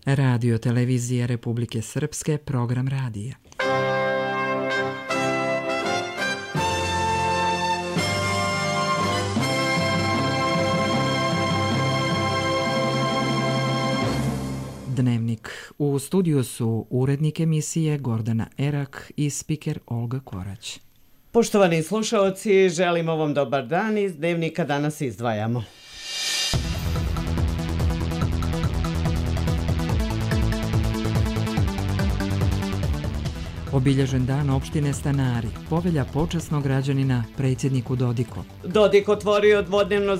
Radio Televizija Republike Srpske, program radija. Dnevnik. U studiju su urednik emisije Gordana Erak i spiker Olga Korać. Poštovani slušaoci, želimo vam dobar dan. Iz Dnevnika danas izdvajamo. Obilježen dan opštine Stanari, povelja počasnog građanina predsjedniku Dodiku. Dodik otvorio dvodnevno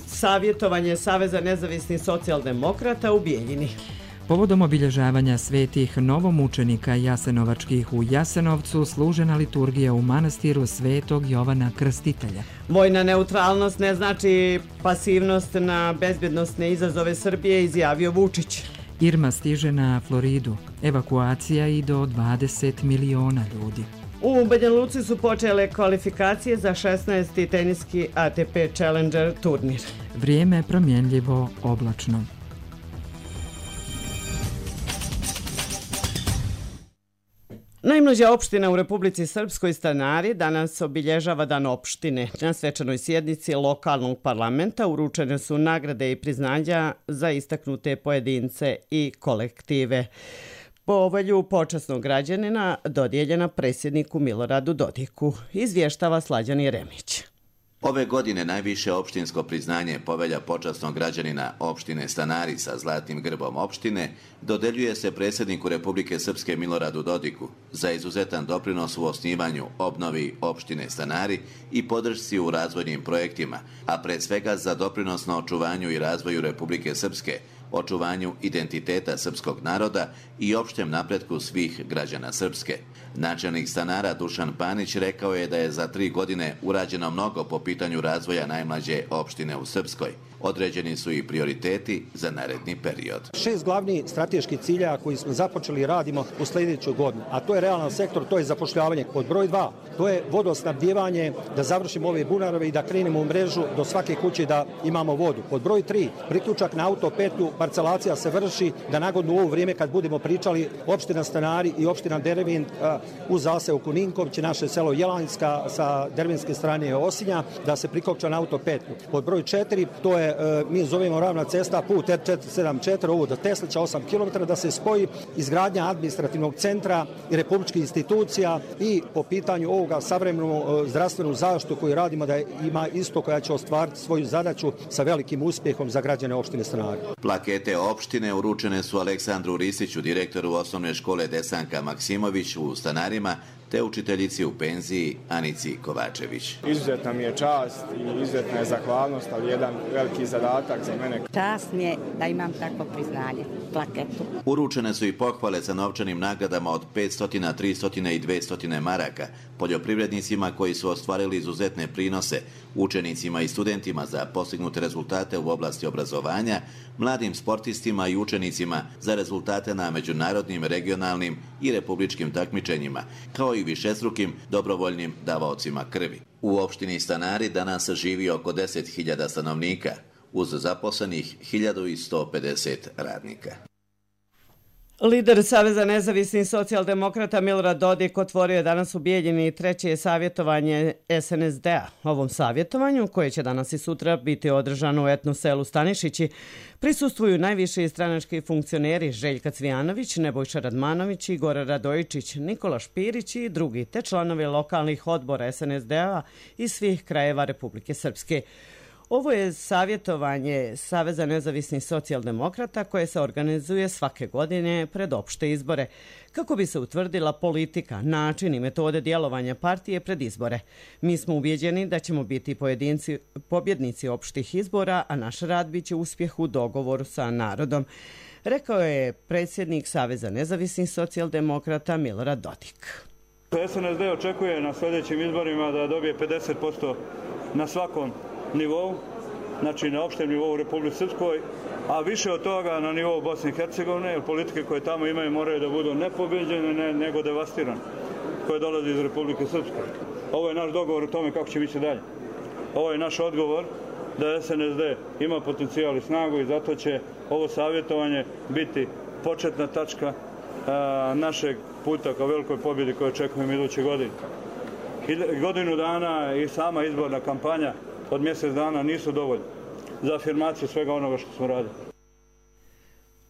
savjetovanje Saveza nezavisnih socijaldemokrata u Bijeljini. Povodom obilježavanja svetih novomučenika jasenovačkih u Jasenovcu služena liturgija u manastiru Svetog Jovana Krstitelja. Vojna neutralnost ne znači pasivnost na bezbjednosne izazove Srbije, izjavio Vučić. Irma stiže na Floridu, evakuacija i do 20 miliona ljudi. U Banja Luci su počele kvalifikacije za 16. teniski ATP Challenger turnir. Vrijeme promjenljivo, oblačno. Najmlađa opština u Republici Srpskoj, Stanari, danas obilježava Dan opštine. Na svečanoj sjednici lokalnog parlamenta uručene su nagrade i priznanja za istaknute pojedince i kolektive. Povelju počasnog građanina dodijeljena predsjedniku Miloradu Dodiku, izvještava Slađan Jeremić. Ove godine najviše opštinsko priznanje povelja počasnog građanina opštine Stanari sa zlatnim grbom opštine dodeljuje se predsjedniku Republike Srpske Miloradu Dodiku za izuzetan doprinos u osnivanju, obnovi opštine Stanari i podršci u razvojnim projektima, a pred svega za doprinos na očuvanju i razvoju Republike Srpske, očuvanju identiteta srpskog naroda i opštem napretku svih građana Srpske. Načelnik Stanara Dušan Panić rekao je da je za 3 godine urađeno mnogo po pitanju razvoja najmlađe opštine u Srpskoj. Određeni su i prioriteti za naredni period. 6 glavnih strateških cilja koji smo započeli i radimo u sljedećoj godini, a to je realan sektor, to je zapošljavanje. Pod broj 2, to je vodosnabdijevanje, da završimo ove bunarove i da krenemo u mrežu do svake kuće da imamo vodu. Pod broj 3, priključak na autopetlju, parcelacija se vrši, da nagodno u ovo vrijeme kad budemo pričali opština Stanari i opština Dervin u zaseoku Ninkovć, naše selo Jelanjska sa dervinske strane Osinja, da se prikopča na autopetlju. Pod broj 4, to je mi zovemo ravna cesta put R474, ovo do Teslića 8 km, da se spoji izgradnja administrativnog centra i republičkih institucija i po pitanju ovoga savremenu zdravstvenu zaštitu koju radimo da ima isto koja će ostvariti svoju zadaću sa velikim uspjehom za građane opštine Stanari. Plakete opštine uručene su Aleksandru Risiću, direktoru osnovne škole Desanka Maksimović u Stanarima, te učiteljici u penziji Anici Kovačević. Izuzetna mi je čast i izuzetna je zahvalnost, ali jedan veliki zadatak za mene. Čast mi je da imam takvo priznanje, plaketu. Uručene su i pohvale sa novčanim nagradama od 500, 300 i 200 maraka, poljoprivrednicima koji su ostvarili izuzetne prinose, učenicima i studentima za postignute rezultate u oblasti obrazovanja, mladim sportistima i učenicima za rezultate na međunarodnim, regionalnim i republičkim takmičenjima, kao i višestrukim dobrovoljnim davaocima krvi. U opštini Stanari danas živi oko 10.000 stanovnika, uz zaposlenih 1.150 radnika. Lider Saveza nezavisnih socijaldemokrata Milorad Dodik otvorio je danas u Bijeljini treće savjetovanje SNSD-a. Ovom savjetovanju, koje će danas i sutra biti održano u etno selu Stanišići, prisustvuju najviši stranački funkcioneri Željka Cvijanović, Nebojša Radmanović, Igor Radojičić, Nikola Špirić i drugi, te članovi lokalnih odbora SNSD-a iz svih krajeva Republike Srpske. Ovo je savjetovanje Saveza nezavisnih socijaldemokrata koje se organizuje svake godine pred opšte izbore, kako bi se utvrdila politika, način i metode djelovanja partije pred izbore. Mi smo ubjeđeni da ćemo biti pobjednici opštih izbora, a naš rad biće uspjeh u dogovoru sa narodom, rekao je predsjednik Saveza nezavisnih socijaldemokrata Milorad Dodik. SNSD očekuje na sljedećim izborima da dobije 50% na svakom nivou, znači na opštem nivou u Republici Srpskoj, a više od toga na nivou Bosne i Hercegovine, jer politike koje tamo imaju moraju da budu ne pobjeđene, nego devastirane, koje dolaze iz Republike Srpske. Ovo je naš dogovor o tome kako će biti dalje. Ovo je naš odgovor da SNSD ima potencijal i snagu i zato će ovo savjetovanje biti početna tačka našeg puta ka velikoj pobjedi koju očekujemo iduće godine. Godinu dana i sama izborna kampanja od mjesec dana nisu dovoljni za afirmaciju svega onoga što smo radili.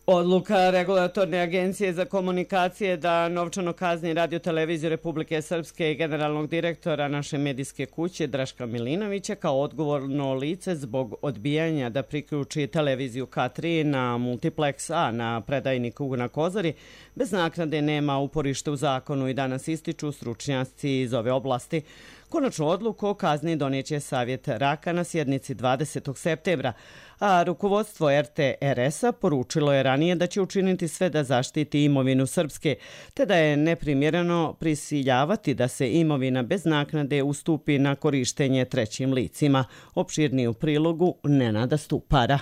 Odluka Regulatorne agencije za komunikacije da novčano kazni Radio-televiziju Republike Srpske i generalnog direktora naše medijske kuće Draška Milinovića kao odgovorno lice zbog odbijanja da priključi televiziju K3 na Multiplex A na predajniku na Kozari bez naknade nema uporište u zakonu i danas ističu stručnjaci iz ove oblasti. Konačnu odluku o kazni donijeće Savjet RAK-a na sjednici 20. septembra, a rukovodstvo RTRS-a poručilo je ranije da će učiniti sve da zaštiti imovinu Srpske, te da je neprimjereno prisiljavati da se imovina bez naknade ustupi na korištenje trećim licima. Opširniji u prilogu Nenada Stupara.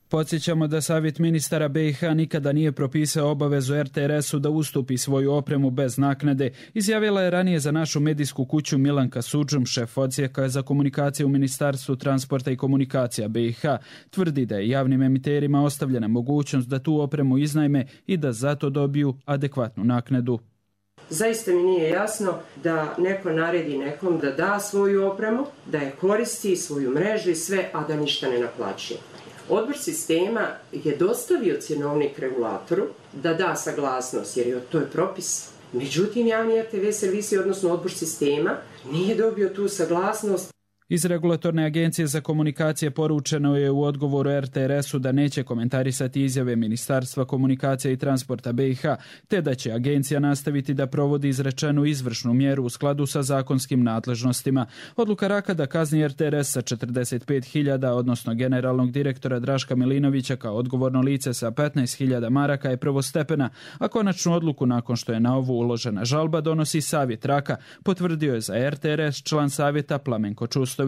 Podsjećamo da Savjet ministara BiH nikada nije propisao obavezu RTRS-u da ustupi svoju opremu bez naknade, izjavila je ranije za našu medijsku kuću Milanka Sudžum, šef odsjeka za komunikacije u Ministarstvu transporta i komunikacija BiH. Tvrdi da je javnim emiterima ostavljena mogućnost da tu opremu iznajme i da zato dobiju adekvatnu naknadu. Zaista mi nije jasno da neko naredi nekom da da svoju opremu, da je koristi, svoju mrežu i sve, a da ništa ne naplaćuje. Odbor sistema je dostavio cjenovnik regulatoru da da saglasnost, jer to je propis. Međutim, javni RTV servisi, odnosno odbor sistema, nije dobio tu saglasnost. Iz Regulatorne agencije za komunikacije poručeno je u odgovoru RTRS-u da neće komentarisati izjave Ministarstva komunikacija i transporta BiH, te da će agencija nastaviti da provodi izrečenu izvršnu mjeru u skladu sa zakonskim nadležnostima. Odluka RAK-a da kazni RTRS sa 45.000, odnosno generalnog direktora Draška Milinovića kao odgovorno lice sa 15.000 maraka je prvostepena, a konačnu odluku nakon što je na ovu uložena žalba donosi Savjet RAK-a, potvrdio je za RTRS član savjeta Plamenko Čustović.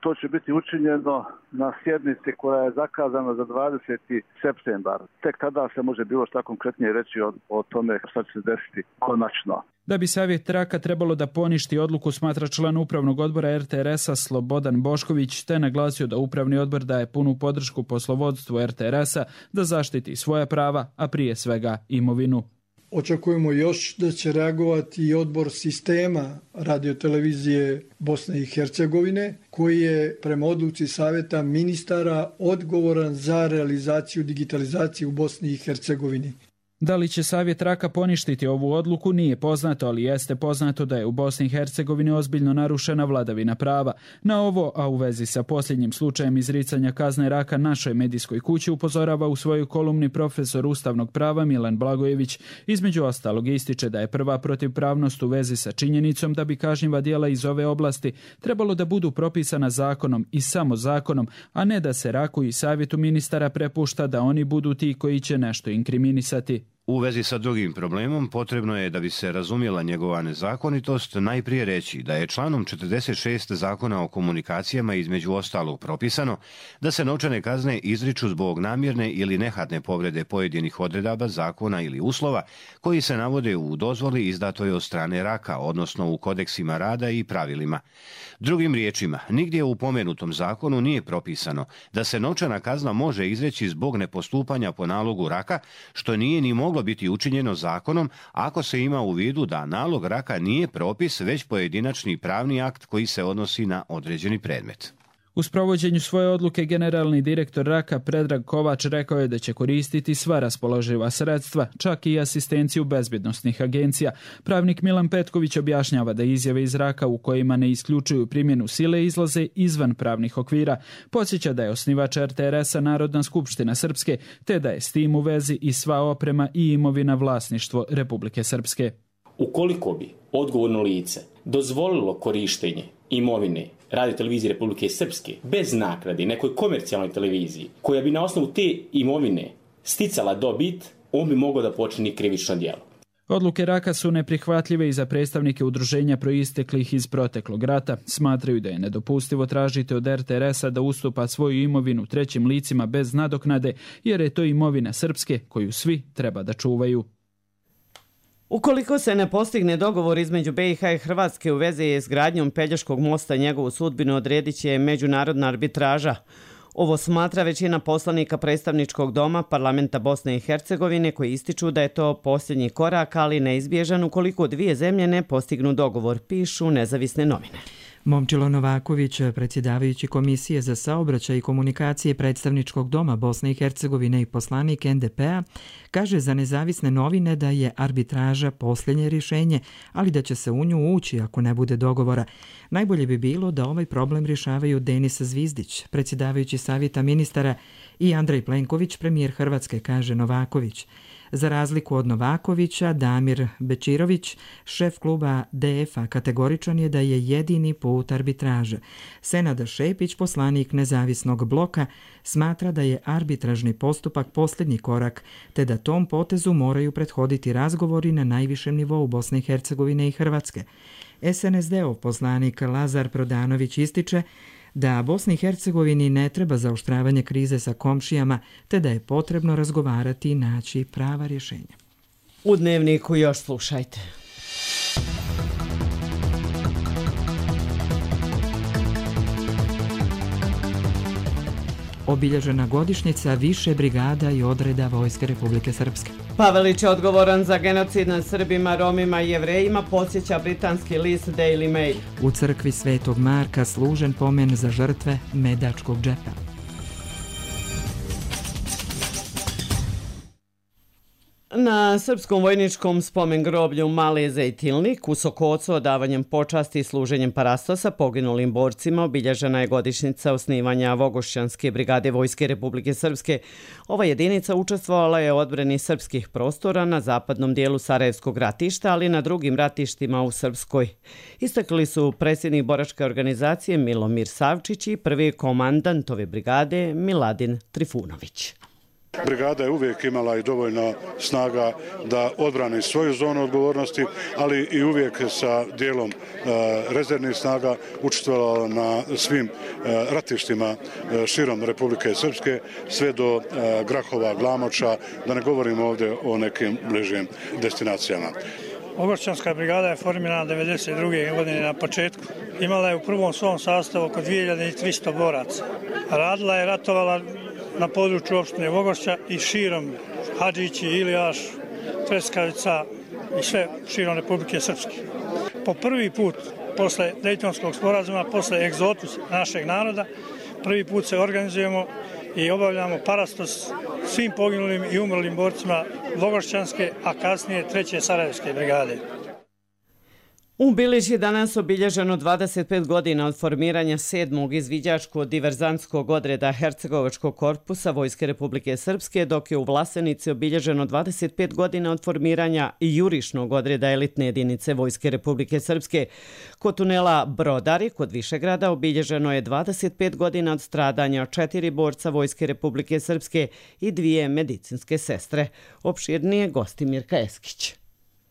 To će biti učinjeno na sjednici koja je zakazana za 20. septembar. Tek tada se može bilo šta konkretnije reći o tome šta će se desiti konačno. Da bi Savjet RAK-a trebalo da poništi odluku, smatra član upravnog odbora RTRS-a Slobodan Bošković, te naglasio da upravni odbor daje punu podršku poslovodstvu RTRS-a da zaštiti svoja prava, a prije svega imovinu. Očekujemo još da će reagovati i odbor sistema Radio-televizije Bosne i Hercegovine, koji je prema odluci Savjeta ministara odgovoran za realizaciju digitalizacije u Bosni i Hercegovini. Da li će Savjet RAK-a poništiti ovu odluku nije poznato, ali jeste poznato da je u Bosni i Hercegovini ozbiljno narušena vladavina prava. Na ovo, a u vezi sa posljednjim slučajem izricanja kazne RAK-a našoj medijskoj kući upozorava u svojoj kolumni profesor ustavnog prava Milan Blagojević. Između ostalog ističe da je prva protivpravnost u vezi sa činjenicom da bi kažnjiva djela iz ove oblasti trebalo da budu propisana zakonom i samo zakonom, a ne da se RAK-u i Savjetu ministara prepušta da oni budu ti koji će nešto inkriminisati. U vezi sa drugim problemom potrebno je da bi se razumjela njegova nezakonitost najprije reći da je članom 46 Zakona o komunikacijama između ostalog propisano da se novčane kazne izriču zbog namjerne ili nehatne povrede pojedinih odredaba zakona ili uslova koji se navode u dozvoli izdatoj od strane RAK-a, odnosno u kodeksima rada i pravilima. Drugim riječima, nigdje u pomenutom zakonu nije propisano da se novčana kazna može izreći zbog nepostupanja po nalogu RAK-a, što nije ni moglo biti učinjeno zakonom ako se ima u vidu da nalog RAK-a nije propis već pojedinačni pravni akt koji se odnosi na određeni predmet. U sprovođenju svoje odluke generalni direktor RAK-a Predrag Kovač rekao je da će koristiti sva raspoloživa sredstva, čak i asistenciju bezbjednosnih agencija. Pravnik Milan Petković objašnjava da izjave iz RAK-a u kojima ne isključuju primjenu sile izlaze izvan pravnih okvira. Podsjeća da je osnivač RTRS-a Narodna skupština Srpske, te da je s tim u vezi i sva oprema i imovina vlasništvo Republike Srpske. Ukoliko bi odgovorno lice dozvolilo korištenje imovine Radio-televizije Republike Srpske bez naknade nekoj komercijalnoj televiziji koja bi na osnovu te imovine sticala dobit, on bi mogao da počini krivično djelo. Odluke RAK-a su neprihvatljive i za predstavnike udruženja proisteklih iz proteklog rata. Smatraju da je nedopustivo tražiti od RTRS-a da ustupa svoju imovinu trećim licima bez nadoknade, jer je to imovina Srpske koju svi treba da čuvaju. Ukoliko se ne postigne dogovor između BiH i Hrvatske u vezi s gradnjom Pelješkog mosta, njegovu sudbinu odredit će međunarodna arbitraža. Ovo smatra većina poslanika predstavničkog doma parlamenta Bosne i Hercegovine koji ističu da je to posljednji korak, ali neizbježan ukoliko dvije zemlje ne postignu dogovor, pišu nezavisne novine. Momčilo Novaković, predsjedavajući Komisije za saobraćaj i komunikacije predstavničkog doma Bosne i Hercegovine i poslanik NDP-a, kaže za nezavisne novine da je arbitraža posljednje rješenje, ali da će se u nju ući ako ne bude dogovora. Najbolje bi bilo da ovaj problem rješavaju Denis Zvizdić, predsjedavajući Savjeta ministara, i Andrej Plenković, premijer Hrvatske, kaže Novaković. Za razliku od Novakovića, Damir Bečirović, šef kluba DF-a, kategoričan je da je jedini put arbitraže. Senada Šepić, poslanik nezavisnog bloka, smatra da je arbitražni postupak posljednji korak, te da tom potezu moraju prethoditi razgovori na najvišem nivou Bosne i Hercegovine i Hrvatske. SNSD-ov poslanik Lazar Prodanović ističe da Bosni i Hercegovini ne treba zaoštravanje krize sa komšijama, te da je potrebno razgovarati i naći prava rješenja. U Dnevniku još slušajte. Obilježena godišnjica više brigada i odreda Vojske Republike Srpske. Pavelić je odgovoran za genocid nad Srbima, Romima i Jevrejima, podsjeća britanski list Daily Mail. U crkvi Svetog Marka služen pomen za žrtve Medačkog džepa. Na srpskom vojničkom spomen groblju Mali Zejtilnik u Sokocu odavanjem počasti i služenjem parastosa poginulim borcima obilježena je godišnjica osnivanja Vogošćanske brigade Vojske Republike Srpske. Ova jedinica učestvovala je u odbrani srpskih prostora na zapadnom dijelu Sarajevskog ratišta, ali i na drugim ratištima u Srpskoj. Istakli su predsjednik boračke organizacije Milomir Savčić i prvi komandant ove brigade Miladin Trifunović. Brigada je uvijek imala i dovoljno snaga da odbrani svoju zonu odgovornosti, ali i uvijek sa dijelom rezervnih snaga učestvovala na svim ratištima širom Republike Srpske, sve do Grahova, Glamoča, da ne govorimo ovdje o nekim bližim destinacijama. Vogošćanska brigada je formirana 1992. godine na početku. Imala je u prvom svom sastavu oko 2300 boraca. Radila je, ratovala na području opštine Vogošća i širom Hadžići, Ilijaš, Treskavica i sve širom Republike Srpske. Po prvi put, posle Dejtonskog sporazuma, posle egzotusa našeg naroda, prvi put se organizujemo i obavljamo parastos svim poginulim i umrlim borcima Vogošćanske, a kasnije 3. Sarajevske brigade. U Bilić je danas obilježeno 25 godina od formiranja 7. izviđačko-diverzantskog odreda Hercegovačkog korpusa Vojske Republike Srpske, dok je u Vlasenici obilježeno 25 godina od formiranja jurišnog odreda elitne jedinice Vojske Republike Srpske. Kod tunela Brodari, kod Višegrada, obilježeno je 25 godina od stradanja 4 borca Vojske Republike Srpske i 2 medicinske sestre. Opširnije Gostimirka Eskić.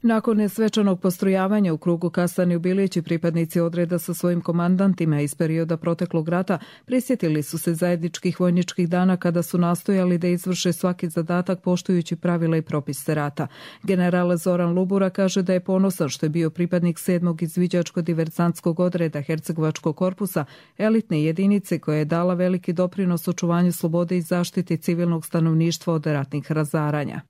Nakon svečanog postrojavanja u krugu kasarne u Bilići, pripadnici odreda sa svojim komandantima iz perioda proteklog rata prisjetili su se zajedničkih vojničkih dana kada su nastojali da izvrše svaki zadatak poštujući pravila i propise rata. General Zoran Lubura kaže da je ponosan što je bio pripadnik 7. izviđačko-diverzantskog odreda Hercegovačkog korpusa, elitne jedinice koja je dala veliki doprinos očuvanju slobode i zaštiti civilnog stanovništva od ratnih razaranja.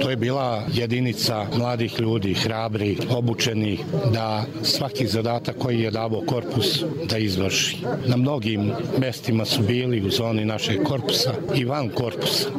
To je bila jedinica mladih ljudi, hrabri, obučeni, da svaki zadatak koji je davo korpus da izvrši. Na mnogim mestima su bili u zoni našeg korpusa i van korpusa.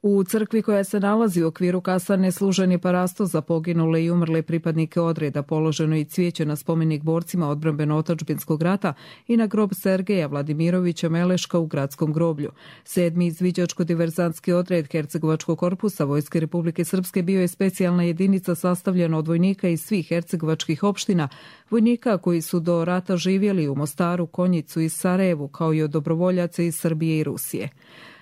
U crkvi koja se nalazi u okviru kasarne služen je parastos za poginule i umrle pripadnike odreda, položeno i cvijeće na spomenik borcima odbrambeno-otadžbinskog rata i na grob Sergeja Vladimirovića Meleška u gradskom groblju. 7. izviđačko-diverzantski odred Hercegovačkog korpusa Vojske Republike Srpske bio je specijalna jedinica sastavljena od vojnika iz svih hercegovačkih opština, vojnika koji su do rata živjeli u Mostaru, Konjicu i Sarajevu, kao i od dobrovoljaca iz Srbije i Rusije.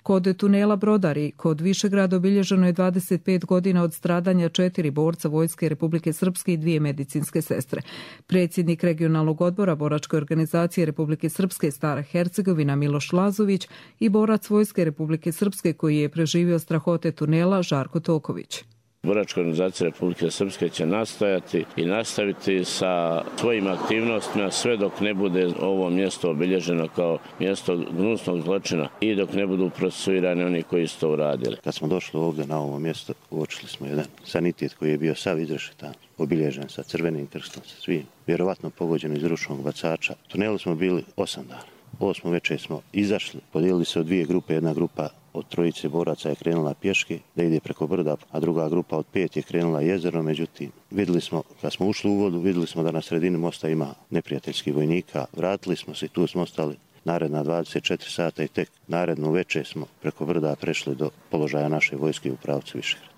Kod tunela Brodari, kod Višegrada, obilježeno je 25 godina od stradanja 4 borca Vojske Republike Srpske i 2 medicinske sestre. Predsjednik regionalnog odbora boračke organizacije Republike Srpske Stara Hercegovina Miloš Lazović i borac Vojske Republike Srpske koji je preživio strahote tunela Žarko Toković. Boračka organizacija Republike Srpske će nastojati i nastaviti sa svojim aktivnostima sve dok ne bude ovo mjesto obilježeno kao mjesto gnusnog zločina i dok ne budu procesuirani oni koji su to uradili. Kad smo došli ovdje na ovo mjesto, uočili smo jedan sanitet koji je bio sav izrešetan, obilježen sa crvenim krstom, sa svim, vjerovatno pogođen iz ručnog bacača. U tunelu smo bili 8 dana. 8 večer smo izašli, podijelili se u 2 grupe, jedna grupa od 3 boraca je krenula pješke da ide preko brda, a druga grupa od 5 je krenula jezero, međutim vidjeli smo, kad smo ušli u vodu, vidjeli smo da na sredini mosta ima neprijateljskih vojnika, vratili smo se i tu smo ostali naredna 24 sata i tek narednu večer smo preko brda prešli do položaja naše vojske u pravcu Višegrada.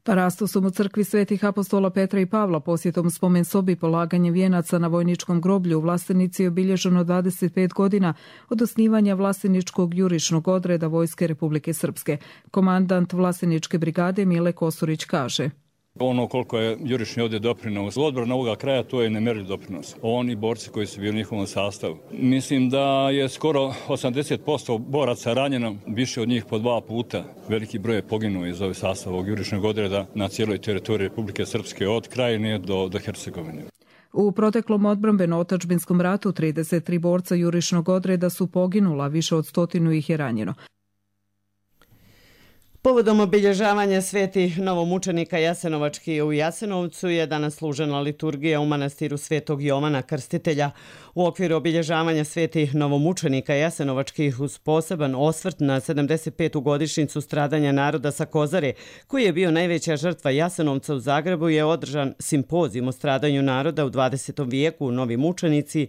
Parastosom u crkvi Svetih apostola Petra i Pavla, posjetom spomen sobi, polaganjem vijenaca na vojničkom groblju u Vlastenici je obilježeno 25 godina od osnivanja Vlasteničkog jurišnog odreda Vojske Republike Srpske. Komandant Vlasteničke brigade Mile Kosurić kaže: Ono koliko je jurišni ovdje doprinos odbrana ovoga kraja, to je nemjerljiv doprinos. Oni borci koji su bili u njihovom sastavu. Mislim da je skoro 80% boraca ranjeno, više od njih po 2 puta. Veliki broj je poginuo iz ovog sastava ovog jurišnog odreda na cijeloj teritoriji Republike Srpske od Krajine do Hercegovine. U proteklom odbrambeno-otadžbinskom ratu 33 borca jurišnog odreda su poginula, više od 100 ih je ranjeno. Povodom obilježavanja svetih novomučenika Jasenovački u Jasenovcu je danas služena liturgija u manastiru Svetog Jovana Krstitelja. U okviru obilježavanja svetih novomučenika Jasenovačkih uz poseban osvrt na 75. godišnjicu stradanja naroda sa Kozare, koji je bio najveća žrtva Jasenovca u Zagrebu, je održan simpozijum o stradanju naroda u 20. vijeku, novi mučenici,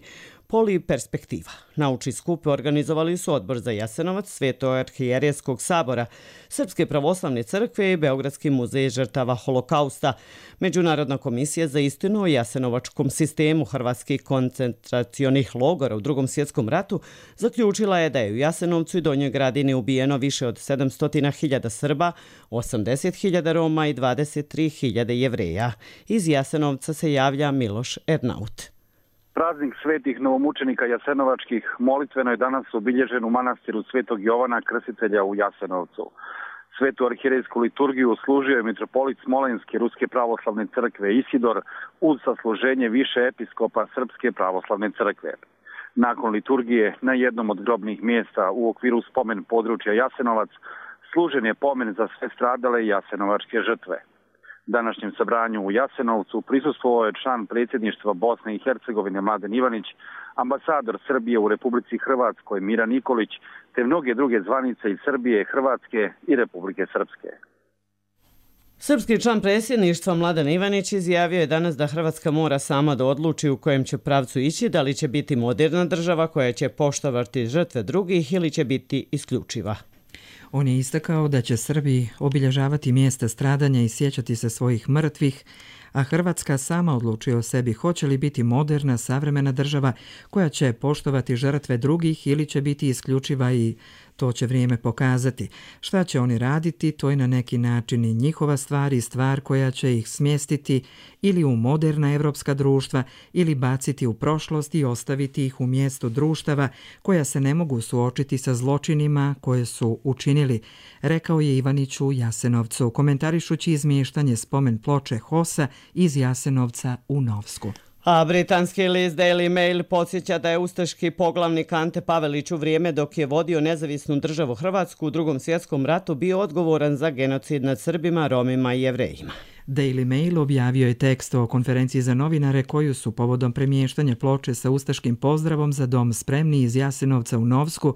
Poliperspektiva. Naučni skup organizovali su Odbor za Jasenovac, Sveto-arhijerejskog sabora, Srpske pravoslavne crkve i Beogradski muzej žrtava holokausta. Međunarodna komisija za istinu o jasenovačkom sistemu hrvatskih koncentracionih logora u Drugom svjetskom ratu zaključila je da je u Jasenovcu i Donjoj Gradini ubijeno više od 700.000 Srba, 80.000 Roma i 23.000 Jevreja. Iz Jasenovca se javlja Miloš Ernaut. Praznik svetih novomučenika Jasenovačkih molitveno je danas obilježen u manastiru Svetog Jovana Krstitelja u Jasenovcu. Svetu arhijerejsku liturgiju služio je mitropolit Smolenske Ruske pravoslavne crkve Isidor uz sasluženje više episkopa Srpske pravoslavne crkve. Nakon liturgije na jednom od grobnih mjesta u okviru spomen područja Jasenovac služen je pomen za sve stradale jasenovačke žrtve. Današnjem sabranju u Jasenovcu prisustvovao je član predsjedništva Bosne i Hercegovine Mladen Ivanić, ambasador Srbije u Republici Hrvatskoj Mira Nikolić, te mnoge druge zvanice iz Srbije, Hrvatske i Republike Srpske. Srpski član predsjedništva Mladen Ivanić izjavio je danas da Hrvatska mora sama da odluči u kojem će pravcu ići, da li će biti moderna država koja će poštovati žrtve drugih ili će biti isključiva. On je istakao da će Srbi obilježavati mjesta stradanja i sjećati se svojih mrtvih, a Hrvatska sama odlučuje o sebi hoće li biti moderna, savremena država koja će poštovati žrtve drugih ili će biti isključiva i to će vrijeme pokazati. Šta će oni raditi, to je na neki način i njihova stvar i stvar koja će ih smjestiti ili u moderna evropska društva ili baciti u prošlost i ostaviti ih u mjestu društava koja se ne mogu suočiti sa zločinima koje su učinili, rekao je Ivanić u Jasenovcu, komentarišući izmještanje spomen ploče HOS-a iz Jasenovca u Novsku. A britanski list Daily Mail podsjeća da je ustaški poglavnik Ante Pavelić u vrijeme dok je vodio nezavisnu državu Hrvatsku u Drugom svjetskom ratu bio odgovoran za genocid nad Srbima, Romima i Jevrejima. Daily Mail objavio je tekst o konferenciji za novinare koju su povodom premještanja ploče sa ustaškim pozdravom za dom spremni iz Jasenovca u Novsku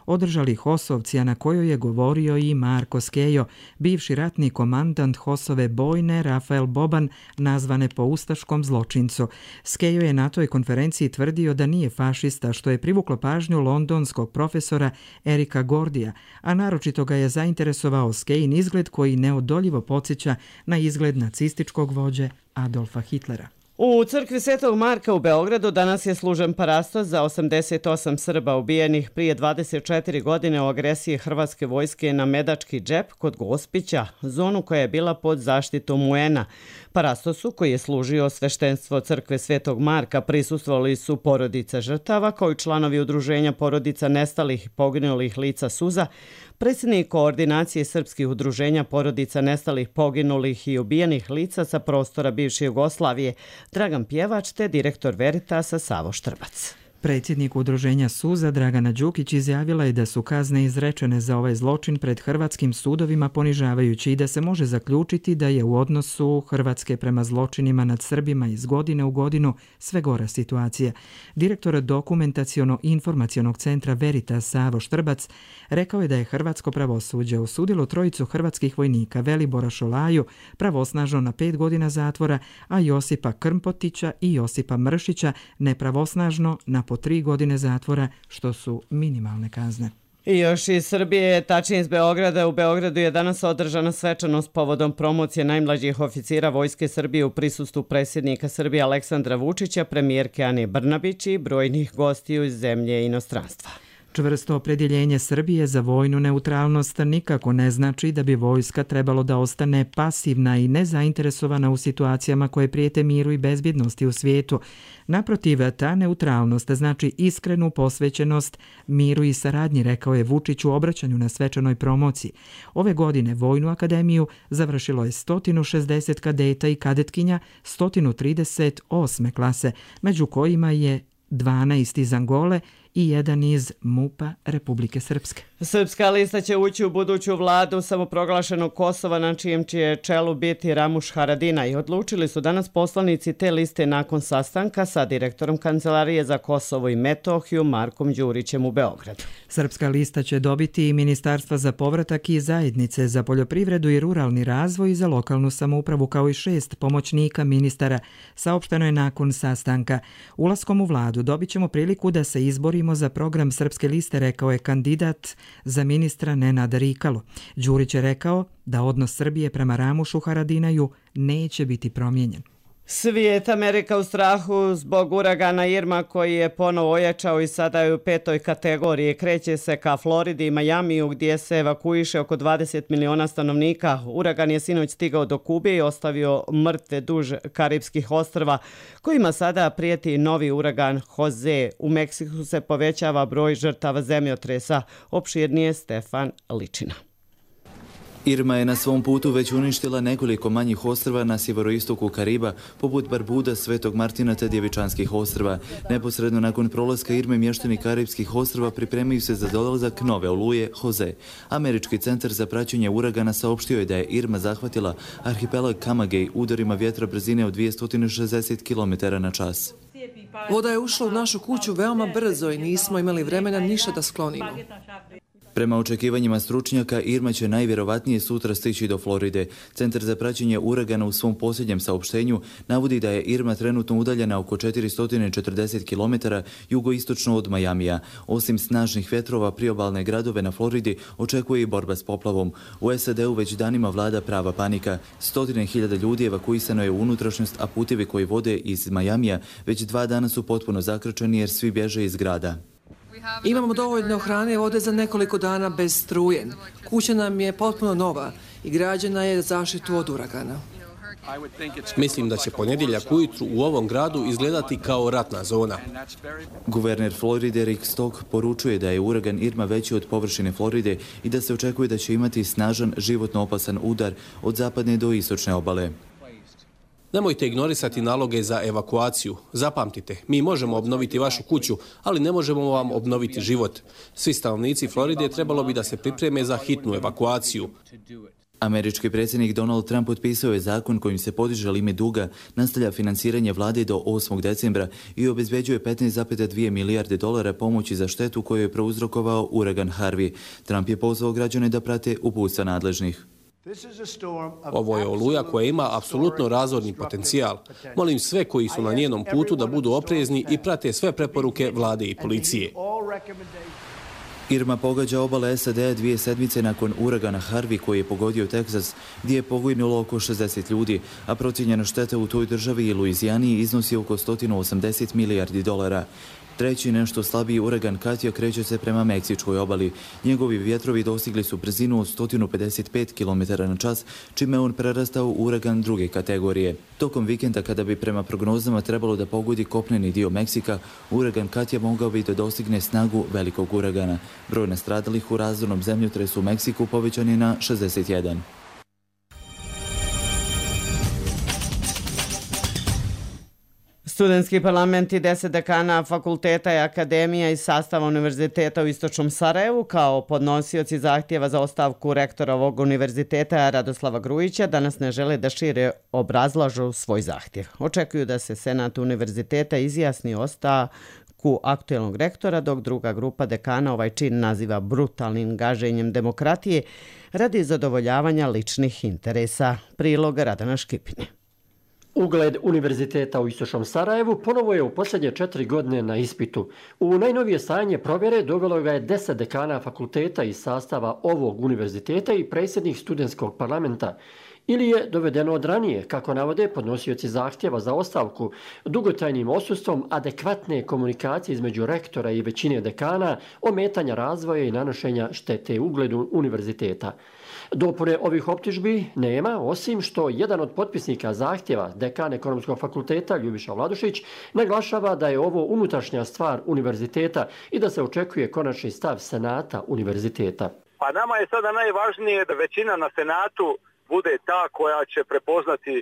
održali HOS-ovci, a na kojoj je govorio i Marko Skejo, bivši ratni komandant HOS-ove bojne Rafael Boban, nazvane po ustaškom zločincu. Skejo je na toj konferenciji tvrdio da nije fašista, što je privuklo pažnju londonskog profesora Erika Gordija, a naročito ga je zainteresovao Skejin izgled koji neodoljivo podsjeća na izgled nacističkog vođe Adolfa Hitlera. U crkvi Svetog Marka u Beogradu danas je služen parastos za 88 Srba ubijenih prije 24 godine u agresiji hrvatske vojske na Medački džep kod Gospića, zonu koja je bila pod zaštitom UN-a. Parastosu, koji je služio sveštenstvo crkve Svetog Marka, prisustvovali su porodica žrtava kao i članovi udruženja porodica nestalih i poginulih lica Suza, Predsjednik Koordinacije srpskih udruženja porodica nestalih, poginulih i ubijenih lica sa prostora bivše Jugoslavije, Dragan Pjevač, te direktor Veritasa Savo Štrbac. Predsjednik udruženja Suza Dragana Đukić izjavila je da su kazne izrečene za ovaj zločin pred hrvatskim sudovima ponižavajući i da se može zaključiti da je u odnosu Hrvatske prema zločinima nad Srbima iz godine u godinu sve gora situacija. Direktor dokumentaciono-informacionog centra Veritas Savo Štrbac rekao je da je hrvatsko pravosuđe osudilo trojicu hrvatskih vojnika Velibora Šolaju pravosnažno na 5 godina zatvora, a Josipa Krmpotića i Josipa Mršića nepravosnažno na po 3 godine zatvora, što su minimalne kazne. I još iz Srbije, tačnije iz Beograda. U Beogradu je danas održana svečanost povodom promocije najmlađih oficira Vojske Srbije u prisustvu predsjednika Srbije Aleksandra Vučića, premijerke Ane Brnabić i brojnih gostiju iz zemlje i inostranstva. Čvrsto opredjeljenje Srbije za vojnu neutralnost nikako ne znači da bi vojska trebalo da ostane pasivna i nezainteresovana u situacijama koje prijete miru i bezbjednosti u svijetu. Naprotiv, ta neutralnost znači iskrenu posvećenost miru i saradnji, rekao je Vučić u obraćanju na svečanoj promociji. Ove godine Vojnu akademiju završilo je 160 kadeta i kadetkinja 138. klase, među kojima je 12 iz Angole i jedan iz MUP-a Republike Srpske. Srpska lista će ući u buduću vladu samoproglašenog Kosova, na čijem će čelu biti Ramuš Haradinaj. Odlučili su danas poslanici te liste nakon sastanka sa direktorom Kancelarije za Kosovo i Metohiju Markom Đurićem u Beogradu. Srpska lista će dobiti i Ministarstva za povratak i zajednice za poljoprivredu i ruralni razvoj i za lokalnu samoupravu, kao i 6 pomoćnika ministara, saopšteno je nakon sastanka. Ulaskom u vladu dobit ćemo priliku da se izborimo za program Srpske liste, rekao je kandidat za ministra Nenad Rikalo. Đurić je rekao da odnos Srbije prema Ramušu Haradinaju neće biti promijenjen. Svijet Amerika u strahu zbog uragana Irma, koji je ponovo ojačao i sada je u 5. kategoriji. Kreće se ka Floridi i Majamiju, gdje se evakuiše oko 20 miliona stanovnika. Uragan je sinoć stigao do Kube i ostavio mrtve duž Karibskih ostrva, kojima sada prijeti novi uragan Jose. U Meksiku se povećava broj žrtava zemljotresa. Opširnije Stefan Ličina. Irma je na svom putu već uništila nekoliko manjih ostrva na sjeveroistoku Kariba, poput Barbuda, Svetog Martina te Djevičanskih ostrva. Neposredno nakon prolaska Irme, mještani Karibskih ostrva pripremaju se za dolazak nove oluje Jose. Američki centar za praćenje uragana saopštio je da je Irma zahvatila arhipelag Camagüey udarima vjetra brzine od 260 km/h. Voda je ušla u našu kuću veoma brzo i nismo imali vremena ništa da sklonimo. Prema očekivanjima stručnjaka, Irma će najvjerovatnije sutra stići do Floride. Centar za praćenje uragana u svom posljednjem saopštenju navodi da je Irma trenutno udaljena oko 440 km jugoistočno od Majamija. Osim snažnih vjetrova, priobalne gradove na Floridi očekuje i borba s poplavom. U SAD-u već danima vlada prava panika. 100.000 ljudi evakuisano je u unutrašnjost, a putevi koji vode iz Majamija već 2 dana su potpuno zakrčeni jer svi bježe iz grada. Imamo dovoljno hrane i vode za nekoliko dana bez struje. Kuća nam je potpuno nova i građena je zaštitu od uragana. Mislim da će ponedjeljak ujutru u ovom gradu izgledati kao ratna zona. Guverner Floride Rick Stock poručuje da je uragan Irma veći od površine Floride i da se očekuje da će imati snažan, životno opasan udar od zapadne do istočne obale. Nemojte ignorisati naloge za evakuaciju. Zapamtite, mi možemo obnoviti vašu kuću, ali ne možemo vam obnoviti život. Svi stanovnici Floride trebalo bi da se pripreme za hitnu evakuaciju. Američki predsjednik Donald Trump potpisao je zakon kojim se podiže limit duga, nastavlja finansiranje vlade do 8. decembra i obezbeđuje 15,2 milijarde dolara pomoći za štetu koju je prouzrokovao uragan Harvey. Trump je pozvao građane da prate uputstva nadležnih. Ovo je oluja koja ima apsolutno razorni potencijal. Molim sve koji su na njenom putu da budu oprezni i prate sve preporuke vlade i policije. Irma pogađa obale SAD-a 2 sedmice nakon uragana Harvey koji je pogodio Teksas, gdje je poginulo oko 60 ljudi, a procijenjena šteta u toj državi i Luizijani iznosi oko 180 milijardi dolara. Treći, nešto slabiji uragan Katja kreće se prema meksičkoj obali. Njegovi vjetrovi dostigli su brzinu od 155 km/h, čime on prerastao u uragan druge kategorije. Tokom vikenda, kada bi prema prognozama trebalo da pogodi kopneni dio Meksika, uragan Katja mogao bi da dostigne snagu velikog uragana. Broj nastradalih u razornom zemljotresu u Meksiku povećan je na 61. Studentski parlament i 10 dekana fakulteta i akademija iz sastava univerziteta u Istočnom Sarajevu kao podnosioci zahtjeva za ostavku rektora ovog univerziteta Radoslava Grujića danas ne žele da šire obrazlažu svoj zahtjev. Očekuju da se Senat univerziteta izjasni o ostavku aktuelnog rektora, dok druga grupa dekana ovaj čin naziva brutalnim gaženjem demokratije radi zadovoljavanja ličnih interesa. Prilog Radana Škipine. Ugled univerziteta u Istočnom Sarajevu ponovo je u posljednje 4 godine na ispitu. U najnovije stanje provjere dovelo ga je 10 dekana fakulteta iz sastava ovog univerziteta i predsjednik studentskog parlamenta. Ili je dovedeno od ranije, kako navode podnosioci zahtjeva za ostavku, dugotrajnim odsustvom adekvatne komunikacije između rektora i većine dekana, ometanja razvoja i nanošenja štete ugledu univerziteta. Dopune ovih optužbi nema, osim što jedan od potpisnika zahtjeva, dekan Ekonomskog fakulteta Ljubiša Vladušić, naglašava da je ovo unutrašnja stvar univerziteta i da se očekuje konačni stav Senata univerziteta. Pa nama je sada najvažnije da većina na Senatu bude ta koja će prepoznati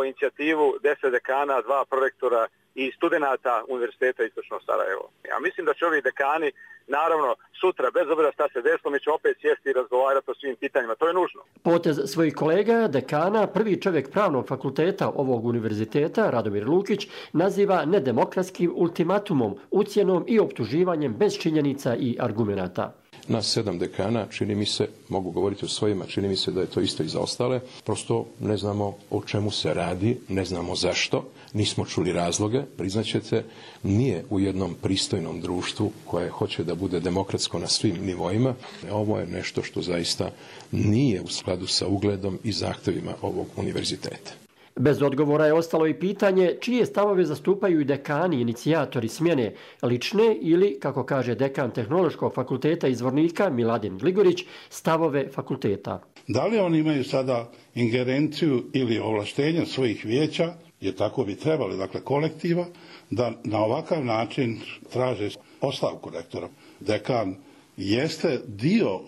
inicijativu 10 dekana, 2 prorektora i studenata Univerziteta Istočno Sarajevo. Ja mislim da će ovi dekani, naravno, sutra, bez obzira šta se desilo, mi ćemo opet sjesti i razgovarati o svim pitanjima. To je nužno. Potez svojih kolega, dekana, prvi čovjek pravnog fakulteta ovog univerziteta, Radomir Lukić, naziva nedemokratskim ultimatumom, ucjenom i optuživanjem bez činjenica i argumenata. Nas 7 dekana, čini mi se, mogu govoriti o svojima, čini mi se da je to isto i za ostale. Prosto ne znamo o čemu se radi, ne znamo zašto, nismo čuli razloge, priznaćete, nije u jednom pristojnom društvu koje hoće da bude demokratsko na svim nivoima. Ovo je nešto što zaista nije u skladu sa ugledom i zahtjevima ovog univerziteta. Bez odgovora je ostalo i pitanje čije stavove zastupaju i dekani, inicijatori smjene, lične ili, kako kaže dekan Tehnološkog fakulteta iz Zvornika Miladin Gligorić, stavove fakulteta. Da li oni imaju sada ingerenciju ili ovlaštenje svojih vijeća, jer tako bi trebali, dakle kolektiva, da na ovakav način traže ostavku rektora. Dekan jeste dio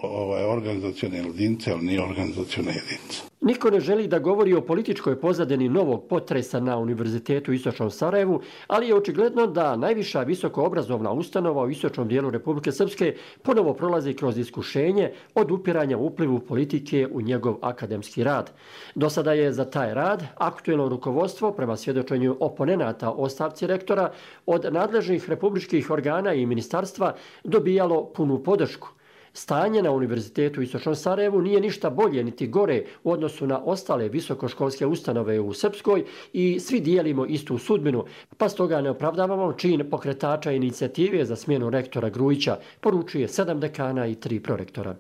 organizacione jedinice, ali nije organizacione jedinice. Niko ne želi da govori o političkoj pozadini novog potresa na Univerzitetu u Istočnom Sarajevu, ali je očigledno da najviša visokoobrazovna ustanova u istočnom dijelu Republike Srpske ponovo prolazi kroz iskušenje od upiranja uplivu politike u njegov akademski rad. Do sada je za taj rad aktuelno rukovodstvo, prema svjedočenju oponenata ostavci rektora, od nadležnih republičkih organa i ministarstva dobijalo punu podršku. Stanje na Univerzitetu u Istočnom Sarajevu nije ništa bolje niti gore u odnosu na ostale visokoškolske ustanove u Srpskoj i svi dijelimo istu sudbinu, pa stoga ne opravdavamo čin pokretača inicijative za smjenu rektora Grujića, poručuje 7 dekana i 3 prorektora.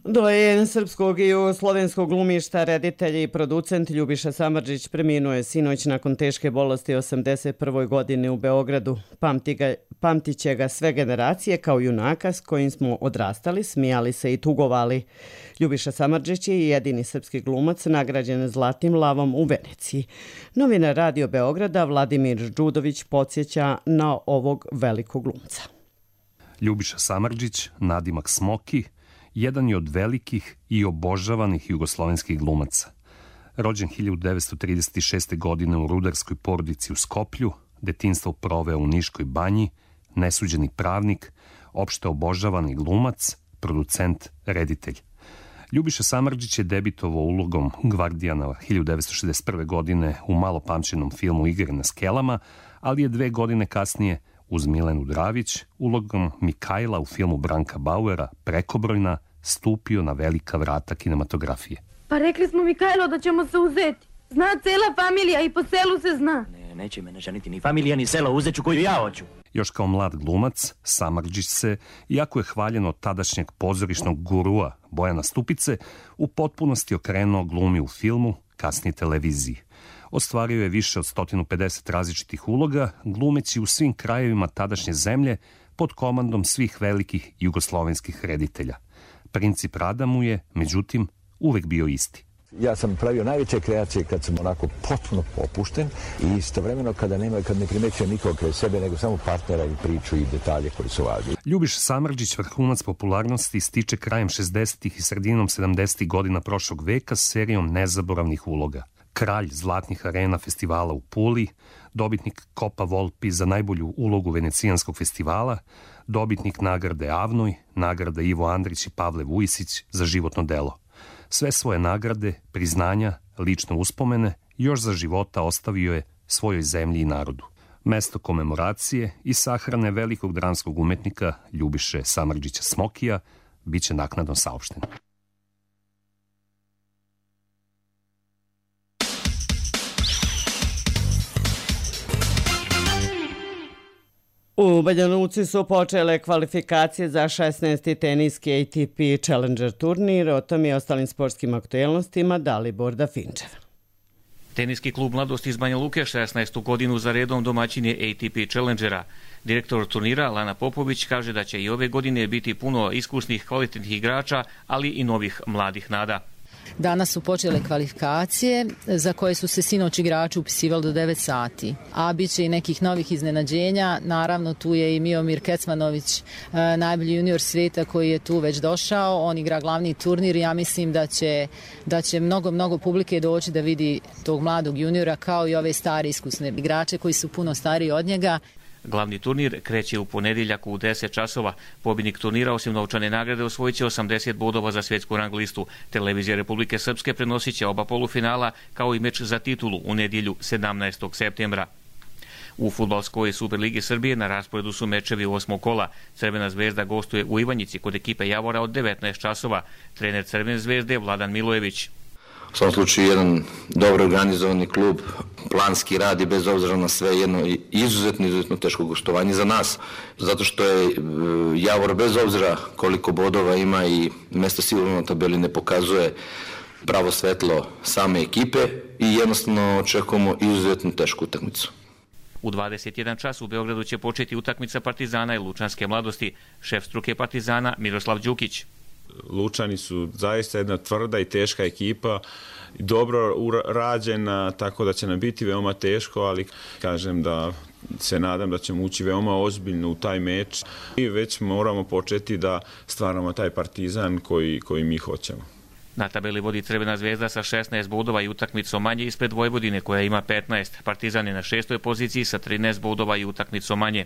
Dojen srpskog i jugoslovenskog glumišta, reditelj i producent Ljubiša Samardžić preminuo je sinoć nakon teške bolesti 81. godine u Beogradu. Pamtit će ga sve generacije kao junaka s kojim smo odrastali, smijali se i tugovali. Ljubiša Samardžić je jedini srpski glumac nagrađen Zlatnim lavom u Veneciji. Novinar Radio Beograda Vladimir Đudović podsjeća na ovog velikog glumca. Ljubiša Samardžić, nadimak Smoki, jedan je od velikih i obožavanih jugoslovenskih glumaca. Rođen 1936. godine u rudarskoj porodici u Skoplju, detinjstvo proveo u Niškoj banji, nesuđeni pravnik, opšte obožavani glumac, producent, reditelj. Ljubiša Samardžić je debitovao ulogom Gvardijana 1961. godine u malo pamćenom filmu Igre na skelama, ali je 2 godine kasnije uz Milenu Dravić, ulogom Mikajla u filmu Branka Bauera Prekobrojna, stupio na velika vrata kinematografije. Pa rekli smo Mikajlo da ćemo se uzeti. Zna cijela familija i po selu se zna. Neće mene ženiti ni familija ni selo, uzet ću koju ja hoću. Još kao mlad glumac, Samardžić se, iako je hvaljen od tadašnjeg pozorišnog gurua Bojana Stupice, u potpunosti okrenuo glumi u filmu, kasnije televiziji. Ostvario je više od 150 različitih uloga, glumeći u svim krajevima tadašnje zemlje pod komandom svih velikih jugoslovenskih reditelja. Princip rada mu je, međutim, uvek bio isti. Ja sam pravio najveće kreacije kad sam onako potpuno popušten i istovremeno kad ne primećujem nikog kraj sebe, nego samo partnera i priču i detalje koji su važni. Ljubiša Samardžić vrhunac popularnosti stiče krajem 60. i sredinom 70. godina prošlog veka s serijom nezaboravnih uloga. Kralj zlatnih arena festivala u Puli, dobitnik Kopa Volpi za najbolju ulogu Venecijanskog festivala, dobitnik nagrade Avnoj, nagrada Ivo Andrić i Pavle Vujisić za životno delo. Sve svoje nagrade, priznanja, lične uspomene još za života ostavio je svojoj zemlji i narodu. Mesto komemoracije i sahrane velikog dramskog umetnika Ljubiše Samardžića Smokija biće naknadno saopšteno. U Banja Luci su počele kvalifikacije za 16. teniski ATP Challenger turnir. O tom i ostalim sportskim aktuelnostima Dalibor Dafinčev. Teniski klub Mladost iz Banja Luke 16. godinu za redom domaćin je ATP Challengera. Direktor turnira Lana Popović kaže da će i ove godine biti puno iskusnih kvalitetnih igrača, ali i novih mladih nada. Danas su počele kvalifikacije za koje su se sinoć igrači upisivali do 9 sati. A bit će i nekih novih iznenađenja. Naravno, tu je i Miomir Kecmanović, najbolji junior svijeta koji je tu već došao. On igra glavni turnir i ja mislim da će mnogo publike doći da vidi tog mladog juniora kao i ove stare iskusne igrače koji su puno stariji od njega. Glavni turnir kreće u ponedjeljak u 10 časova. Pobjednik turnira osim novčane nagrade osvojit će 80 bodova za svjetsku rang listu. Televizija Republike Srpske prenosit će oba polufinala kao i meč za titulu u nedjelju 17. septembra. U fudbalskoj Superligi Srbije na rasporedu su mečevi 8. kola. Crvena zvezda gostuje u Ivanjici kod ekipe Javora od 19 časova. Trener Crvene zvezde Vladan Milojević. U svom slučaju jedan dobro organizovani klub, planski rad i bez obzira na sve jedno izuzetno teško gostovanje za nas. Zato što je Javor bez obzira koliko bodova ima i mjesto sigurno na tabeli ne pokazuje pravo svetlo same ekipe i jednostavno očekujemo izuzetno tešku utakmicu. U 21 čas u Beogradu će početi utakmica Partizana i Lučanske Mladosti. Šef struke Partizana Miroslav Đukić. Lučani su zaista jedna tvrda i teška ekipa, dobro rađena, tako da će nam biti veoma teško, ali kažem da se nadam da ćemo ući veoma ozbiljno u taj meč i već moramo početi da stvaramo taj Partizan koji mi hoćemo. Na tabeli vodi Crvena zvezda sa 16 bodova i utakmicom manje ispred Vojvodine koja ima 15. Partizan je na 6. poziciji sa 13 bodova i utakmicom manje.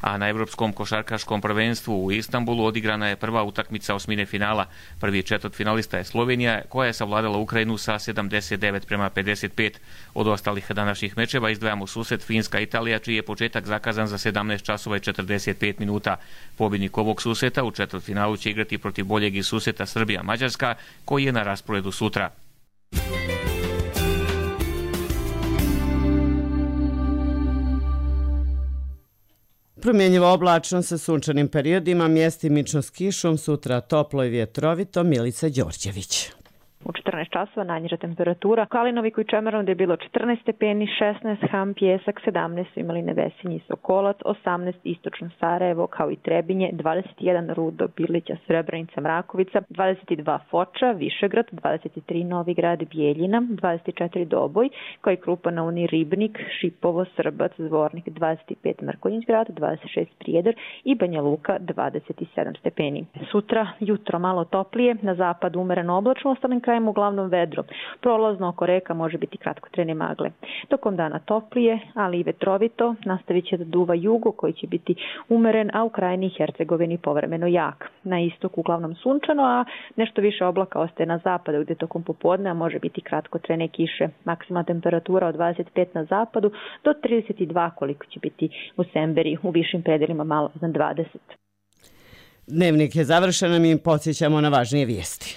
A na Evropskom košarkaškom prvenstvu u Istanbulu odigrana je prva utakmica osmine finala. Prvi četvrtfinalista je Slovenija koja je savladala Ukrajinu sa 79-55. Od ostalih današnjih mečeva izdvajamo susret Finska-Italija čiji je početak zakazan za 17 časova i 45 minuta. Pobjednik ovog susreta u četvrtfinalu će igrati protiv boljeg iz susreta Srbija-Mađarska koji je na rasporedu sutra. Promjenjivo oblačno sa sunčanim periodima, mjestimično s kišom, sutra toplo i vjetrovito. Milica Đorđević. U 14 časova najniža temperatura. Kalinoviku i Čemerom je bilo 14 stepeni, 16 Ham, Pjesak, 17 Imeline, Vesinji, Sokolac, 18 Istočno Sarajevo, kao i Trebinje, 21 Rudo, Birlića, Srebrenica, Mrakovica, 22 Foča, Višegrad, 23 Novigrad, Bijeljina, 24 Doboj, kao i Krupa na Uni, Ribnik, Šipovo, Srbac, Zvornik, 25 Mrkonjić-grad, 26 Prijedor i Banja Luka, 27 stepeni. Sutra jutro malo toplije, na zapadu umereno oblačno, ostalim krajem uglavnom vedro. Prolazno oko reka može biti kratkotrajne magle. Tokom dana toplije, ali i vetrovito, nastavit će da duva jugo koji će biti umeren, a u krajini Hercegovini povremeno jak. Na istok uglavnom sunčano, a nešto više oblaka ostaje na zapadu gdje tokom popodne može biti kratkotrajne kiše. Maksimalna temperatura od 25 na zapadu do 32 koliko će biti u Semberi, u višim predelima malo iznad 20. Dnevnik je završen, mi podsjećamo na važnije vijesti.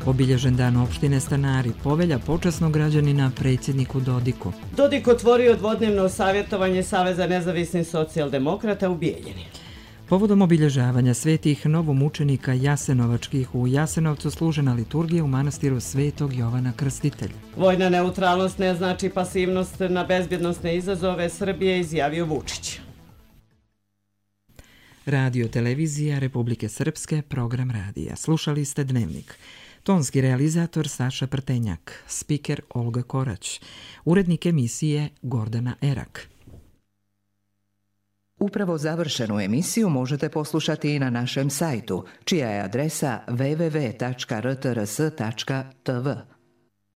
Obilježen dan opštine Stanari, povelja počasnog građanina predsjedniku Dodiku. Dodik otvorio dvodnevno savjetovanje Saveza nezavisnih socijaldemokrata u Bijeljini. Povodom obilježavanja svetih novomučenika jasenovačkih u Jasenovcu služena liturgija u manastiru Svetog Jovana Krstitelja. Vojna neutralnost ne znači pasivnost na bezbjednosne izazove Srbije, izjavio Vučić. Radio televizija Republike Srpske, program radija. Slušali ste Dnevnik. Tonski realizator Saša Prtenjak, spiker Olga Korać, urednik emisije Gordana Erak. Upravo završenu emisiju možete poslušati i na našem sajtu, čija je adresa www.rtrs.tv.